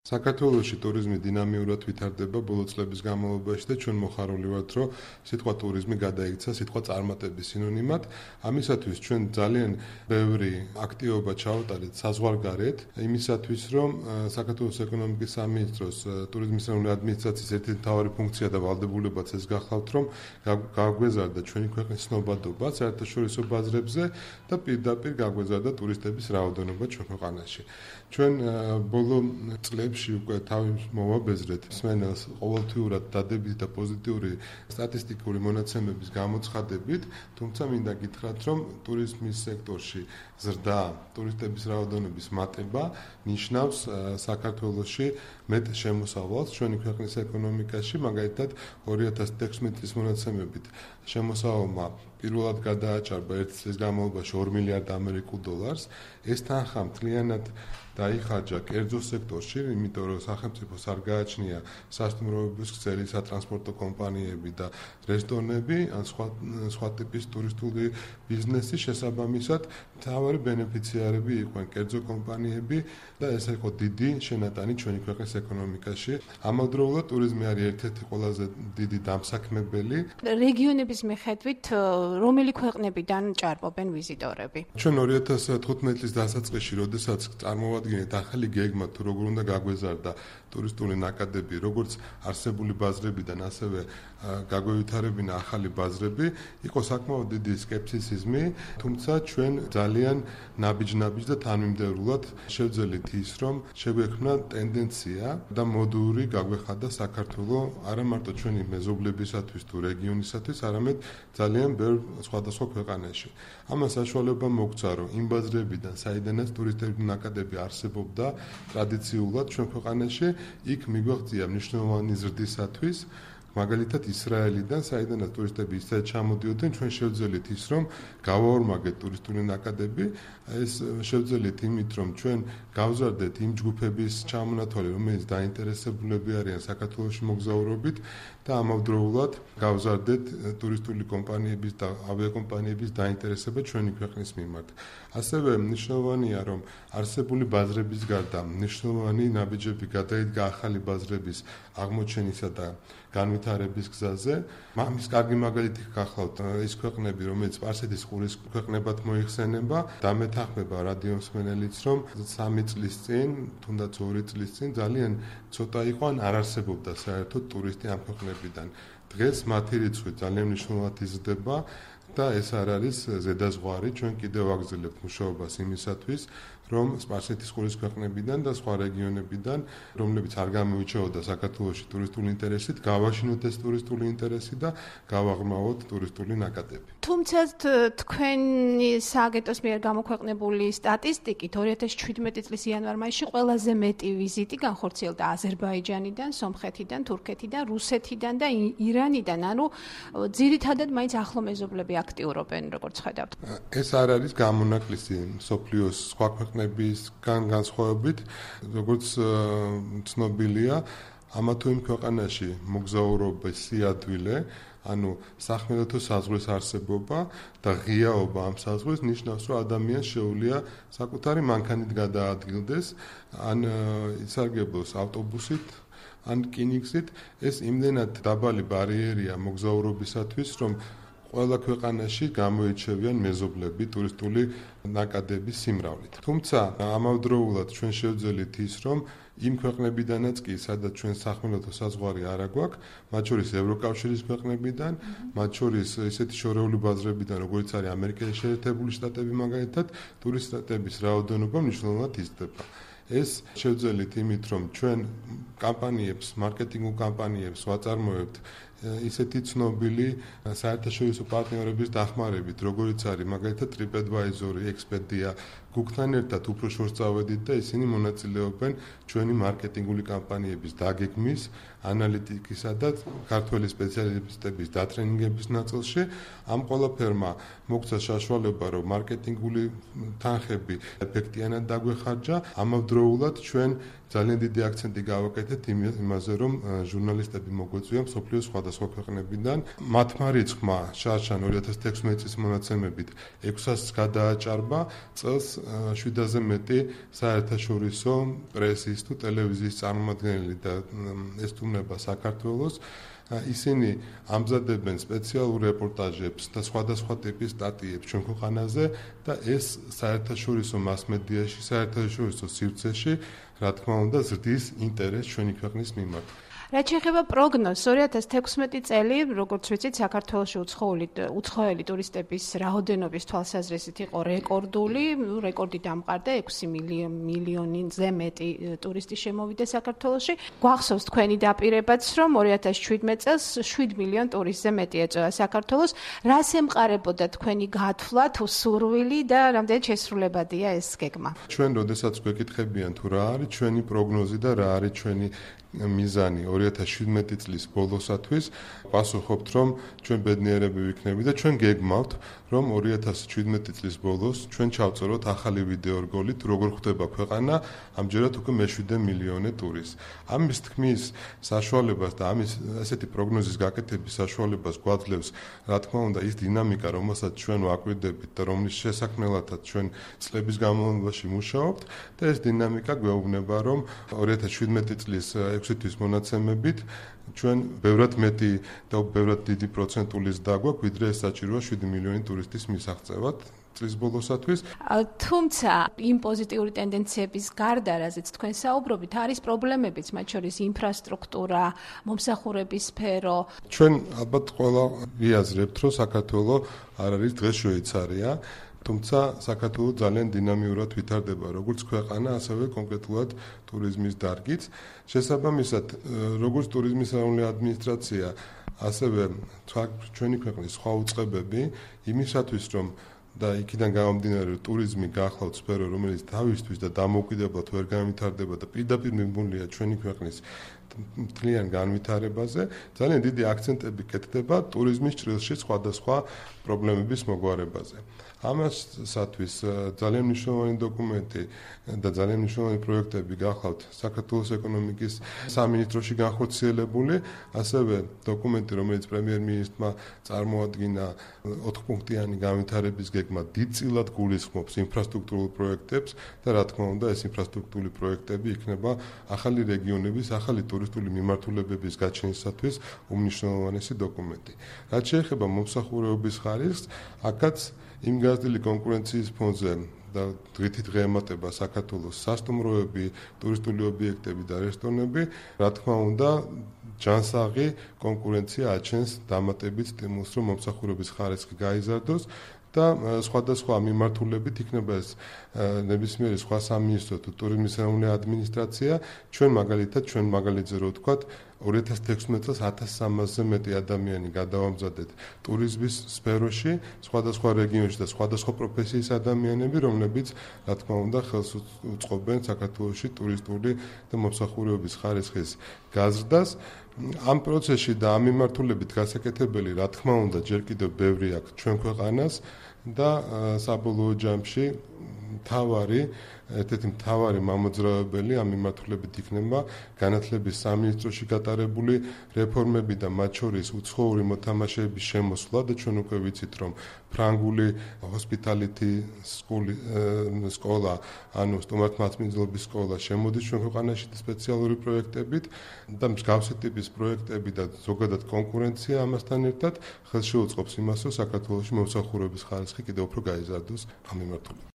საქართველოში ტურიზმი დინამიურად ვითარდება ბოლო წლების განმავლობაში და ჩვენ მოხარული ვართ, რომ სიტყვა ტურიზმი გადაიქცა სიტყვა წარმატების სინონიმად. ამისათვის ჩვენ ძალიან ბევრი აქტივობა ჩავატარეთ საზღვარგარეთ, იმისათვის, რომ საქართველოს ეკონომიკის სამინისტროს ტურიზმის ეროვნული ადმინისტრაციის ერთ-ერთი მთავარი ფუნქცია და ვალდებულებაც ეს გახლავთ, რომ გაგვეზარდა ჩვენი ქვეყნის ცნობადობა საერთაშორისო ბაზრებზე და პირდაპირ გაგვეზარდა ტურისტების რაოდენობა ჩვენ ქვეყანაში. ჩვენ ბოლო წლებში უკვე თავის მოვაბეზრეთ მსმენელს ყოველთვიურად დადებით და პოზიტიური სტატისტიკური მონაცემების გამოცხადებით, თუმცა მინდა გითხრათ, რომ ტურიზმის სექტორში ზრდა, ტურისტების რაოდენობის მატება ნიშნავს საქართველოში მეტ შემოსავალს ჩვენი ქვეყნის ეკონომიკაში, მაგალითად 2016 წლის მონაცემებით შემოსავალმა პირველად გადააჭარბა ერთ წლის განმავლობაში 2 მილიარდ ამერიკულ დოლარს. ეს თანხა მთლიანად დაიხარჯა კერძო სექტორში, იმიტომ რომ სახელმწიფოს არ გააჩნია სასტუმროების ქსელი, სატრანსპორტო კომპანიები და რესტორნები, ან სხვა ტიპის ტურისტული ბიზნესი, შესაბამისად, მთავარი ბენეფიციარები იყვნენ კერძო კომპანიები და ეს იყო დიდი შენატანი ჩვენი ქვეყნის ეკონომიკაში. ამავდროულად ტურიზმი არის ერთ-ერთი ყველაზე დიდი დამსაქმებელი. რეგიონების მიხედვით რომელი ქვეყნებიდან ჭარბობენ ვიზიტორები? ჩვენ 2015 წლის დასაწყისში, როდესაც წარმოვადგინეთ ახალი გეგმა, თუ როგორ უნდა გაგვეზარდა ტურისტული ნაკადები, როგორც არსებული ბაზრებიდან, ასევე გაგვევითარებინა ახალი ბაზრები, იყო საკმაოდ დიდი სკეპტიციზმი, თუმცა ჩვენ ძალიან ნაბიჯ და თანმიმდევრულად შევძელით ის, რომ შეგვექმნა ტენდენცია და მოდური გაგვეხადა საქართველოს არა მარტო ჩვენი მეზობლებისათვის თუ რეგიონისათვის, არამედ ძალიან ბევრ სხვადასხვა ქვეყანაში. ამას საშუალება მოგცა, რომ იმ ბაზრებიდან, საიდანაც ტურისტების ნაკადები არსებობდა ტრადიციულად ჩვენ ქვეყანაში, იქ მიგვაღწია მნიშვნელოვანი ზრდისათვის, მაგალითად ისრაელიდან, საიდანაც ტურისტები ისეთ ჩამოდიოდნენ, ჩვენ შევძელით ის, რომ გავაორმაგეთ ტურისტული ნაკადები, ეს შევძელით იმით, რომ ჩვენ გავზარდეთ იმ ჯგუფების ჩამონათვალი, რომელიც დაინტერესებულები არიან საქართველოში მოგზაურობით და ამავდროულად გავზარდეთ ტურისტული კომპანიების და ავიაკომპანიების დაინტერესება ჩვენი ქვეყნის მიმართ. ასევე მნიშვნელოვანია, რომ არსებული ბაზრების გარდა მნიშვნელოვანი ნაბიჯები გადაიდგა ახალი ბაზრების აღმოჩენისა და განვითარების გზაზე. მამის კარგი მაგალითი გახლავთ ის ქვეყნები, რომელიც სპარსეთის ყურის ქვეყნებად მოიხსენება, დამეთანხმება რადიო მსმენელიც, რომ 3 წლის წინ, თუნდაც 2 წლის წინ ძალიან ცოტა იყო ან არ არსებობდა საერთოდ ტურისტი ამ ქვეყნებიდან. დღეს მათი რიცხვი ძალიან მნიშვნელოვნად იზრდება და ეს არ არის ზედაზღვარი, ჩვენ კიდევ ვაგრძელებთ მუშაობას იმისათვის, რომ სპარსეთის ყურის ქვეყნებიდან და სხვა რეგიონებიდან, რომლებიც არ გამოირჩეოდა საქართველოში ტურისტული ინტერესით, გავაშინოთ ეს ტურისტული ინტერესი და გავაღრმავოთ ტურისტული ნაკადები. თუმცა თქვენი სააგენტოს მიერ გამოქვეყნებული სტატისტიკით 2017 წლის იანვარ-მაისში ყველაზე მეტი ვიზიტი განხორციელდა აზერბაიჯანიდან, სომხეთიდან, თურქეთიდან, რუსეთიდან და ირანიდან, ანუ ძირითადად მაინც ახლო მეზობლები აქტიურობენ, როგორც ხედავთ. ეს არ არის გამონაკლისი მსოფლიოს სხვა ქვეყნებისგან განსხვავებით, როგორც ცნობილია, ამა თუ იმ ქვეყანაში მოგზაურობის სიადვილე, ანუ სახმელეთო საზღვრის არსებობა და ღიაობა ამ საზღვრის ნიშნავს, რომ ადამიანს შეუძლია საკუთარი მანქანით გადაადგილდეს, ან ისარგებლოს ავტობუსით, ან რკინიგზით. ეს იმდენად დაბალი ბარიერია მოგზაურობისათვის, რომ ყველა ქვეყანაში გამოირჩევიან მეზობლები ტურისტული ნაკადების სიმრავლით. თუმცა ამავდროულად ჩვენ შევძელით ის, რომ იმ ქვეყნებიდანაც კი, სადაც ჩვენ სახმელეთო საზღვარი არ აგვაქვს, მათ შორის ევროკავშირის ქვეყნებიდან, მათ შორის ესეთი შორეული ბაზრებიდან, როგორც არის ამერიკის შეერთებული შტატები მაგალითად, ტურისტების რაოდენობა მნიშვნელოვნად იზრდება. ეს შევძელით იმით, რომ ჩვენ კამპანიებს, მარკეტინგულ კამპანიებს ვაწარმოებთ ისეთი ცნობილი საერთაშორისო პარტნიორების დახმარებით, როგორც არის მაგალითად TripAdvisor, Expedia, Google-თან ერთად უფრო შორს წავედით და ისინი მონაწილეობენ ჩვენი მარკეტინგული კამპანიების დაგეგმვის, ანალიტიკისა და ქართველი სპეციალისტების დატრენინგების ნაწილში. ამ ყველაფერმა მოგცა საშუალება, რომ მარკეტინგული თანხები ეფექტიანად დაგვეხარჯა, ამავდროულად ჩვენ ძალიან დიდი აქცენტი გავაკეთეთ იმაზე, რომ ჟურნალისტები მოგვეწვია მსოფლიოს სხვადასხვა ქვეყნებიდან. მათმა რიცხვმა შარშან 2016 წლის მონაცემებით 600-ს გადააჭარბა, წელს 700-ზე მეტი საერთაშორისო პრესის თუ ტელევიზიის წარმომადგენელი და ესტუმრება საქართველოს. ისინი ამზადებენ სპეციალურ რეპორტაჟებს და სხვადასხვა ტიპის სტატიებს ჩვენ ქვეყანაზე და ეს საერთაშორისო მასმედიაში, საერთაშორისო სივრცეში, რა თქმა უნდა, ზრდის ინტერესს ჩვენი ქვეყნის მიმართ. რაც შეეხება პროგნოზს, 2016 წელი, როგორც ვიცით, საქართველოში უცხოელი ტურისტების რაოდენობის თვალსაზრისით იყო რეკორდული, რეკორდი დამყარდა 6 მილიონზე მეტი ტურისტი შემოვიდა საქართველოში. გვახსოვს თქვენი დაპირებაც, რომ 2017 წელს 7 მილიონ ტურისტზე მეტი ეწევა საქართველოს. რას ემყარებოდა თქვენი გათვლა თუ სურვილი და რამდენად შესრულებადია ეს გეგმა? ჩვენ როდესაც გვეკითხებიან თუ რა არის ჩვენი პროგნოზი და რა არის ჩვენი მიზანი 2017 წლის ბოლოსათვის, პასუხობთ, რომ ჩვენ ბედნიერები ვიქნებით და ჩვენ გეგმავთ, რომ 2017 წლის ბოლოს ჩვენ ჩავწეროთ ახალი ვიდეორგოლით, როგორ ხდება ქვეყანა, ამჯერად უკვე მე-7 მილიონე ტურისტს. ამის თქმის საშუალებას და ამის ასეთი პროგნოზის გაკეთების საშუალებას გვაძლევს, რა თქმა უნდა, ის დინამიკა, რომელსაც ჩვენ ვაკვირდებით და რომლის შესაქმნელადაც ჩვენ წლების განმავლობაში მუშაობთ და ეს დინამიკა გვეუბნება, რომ 2017 წლის 6 თვის მონაცემებით ჩვენ ბევრად მეტი და ბევრად დიდი პროცენტული ზრდა გვაქვს, ვიდრე ეს საჭიროა 7 მილიონი ტურისტის მისაღწევად წლის ბოლოსათვის. თუმცა იმ პოზიტიური ტენდენციების გარდა, რაზეც თქვენ საუბრობთ, არის პრობლემებიც, მათ შორის ინფრასტრუქტურა, მომსახურების სფერო. ჩვენ ალბათ ყველა ვიაზრებთ, რომ საქართველოს არ არის დღეს შვეიცარია. თუმცა საქართველოს ძალიან დინამიურად ვითარდება როგორც ქვეყანა, ასევე კონკრეტულად ტურიზმის დარგიც. შესაბამისად, როგორც ტურიზმის ეროვნული ადმინისტრაცია, ასევე ჩვენი ქვეყნის სხვა უწყებები იმისათვის, რომ და იქიდან გამომდინარე ტურიზმი გახლავთ სფერო, რომელიც თავისთვის და დამოუკიდებლად ვერ განვითარდება და პირდაპირ მიმართულია ჩვენი ქვეყნის მთლიან განვითარებაზე, ძალიან დიდი აქცენტები კეთდება ტურიზმის ჭრილში სხვადასხვა პრობლემების მოგვარებაზე. ამასათვის ძალიან მნიშვნელოვანი დოკუმენტი და ძალიან მნიშვნელოვანი პროექტები გახლავთ საქართველოს ეკონომიკის სამინისტროში განხორციელებული, ასევე დოკუმენტი, რომელიც პრემიერ-მინისტრმა წარმოადგინა 4-პუნქტიანი განვითარების გეგმა დიდწილად გულისხმობს ინფრასტრუქტურულ პროექტებს და რა თქმა უნდა, ეს ინფრასტრუქტურული პროექტები იქნება ახალი რეგიონების, ახალი ტურისტული მიმართულებების გაჩენისათვის უმნიშვნელოვანესი დოკუმენტი. რაც შეეხება მომსახურების ხარისხს, აქაც იმ გაზრდილი კონკურენციის ფონზე და დღითი დღე ემატება საქართველოს სასტუმროები, ტურისტული ობიექტები და რესტორნები, რა თქმა უნდა, ჯანსაღი კონკურენცია აჩენს დამატებით სტიმულს, რომ მომსახურების ხარისხი გაიზარდოს და სხვადასხვა მიმართულებით იქნება ეს ნებისმიერი სხვა სამინისტრო თუ ტურიზმის ეროვნული ადმინისტრაცია, ჩვენ მაგალითზე რო ვთქვათ, 2016 წელს 1300-ზე მეტი ადამიანი გადავამზადეთ ტურიზმის სფეროში, სხვადასხვა რეგიონში და სხვადასხვა პროფესიის ადამიანები, რომლებიც, რა თქმა უნდა, ხელს უწყობენ საქართველოში ტურისტული და მომსახურების ხარისხის გაზრდას. ამ პროცესში და ამ მიმართულებით გასაკეთებელი, რა თქმა უნდა, ჯერ კიდევ ბევრი აქვს ჩვენ ქვეყანას და საბოლოო ჯამში ერთ-ერთი მთავარი მამოძრავებელი ამ მიმართულებით იქნება განათლების სამინისტროში გატარებული რეფორმები და მათ შორის უცხოური მოთამაშეების შემოსვლა და ჩვენ უკვე ვიცით, რომ ფრანგული ჰოსპიტალიტი სკოლა, ანუ სტუმართმასპინძლობის სკოლა შემოდის ჩვენ ქვეყანაში სპეციალური პროექტებით და მსგავსი ტიპის პროექტები და ზოგადად კონკურენცია ამასთან ერთად ხელს შეუწყობს იმას, რომ საქართველოში მომსახურების ხარისხი კიდევ უფრო გაიზარდოს ამ მიმართულებით.